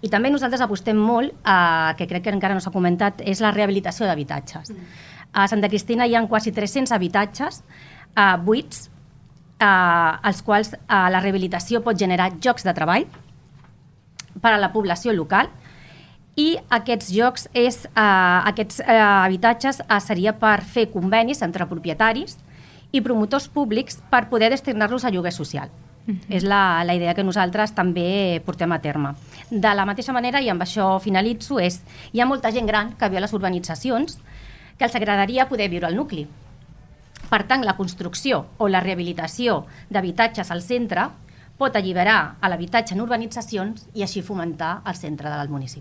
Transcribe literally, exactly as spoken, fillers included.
I també nosaltres apostem molt, eh, que crec que encara no s'ha comentat, és la rehabilitació d'habitatges. Mm. A Santa Cristina hi ha quasi tres-cents habitatges eh, buits, eh, als quals eh, la rehabilitació pot generar llocs de treball per a la població local, i aquests llocs, és, eh, aquests eh, habitatges eh, seria per fer convenis entre propietaris i promotors públics per poder destinar-los a lloguer social. Uh-huh. És la, la idea que nosaltres també portem a terme. De la mateixa manera, i amb això finalitzo, és hi ha molta gent gran que viu a les urbanitzacions que els agradaria poder viure al nucli. Per tant, la construcció o la rehabilitació d'habitatges al centre pot alliberar a l'habitatge en urbanitzacions i així fomentar el centre del municipi.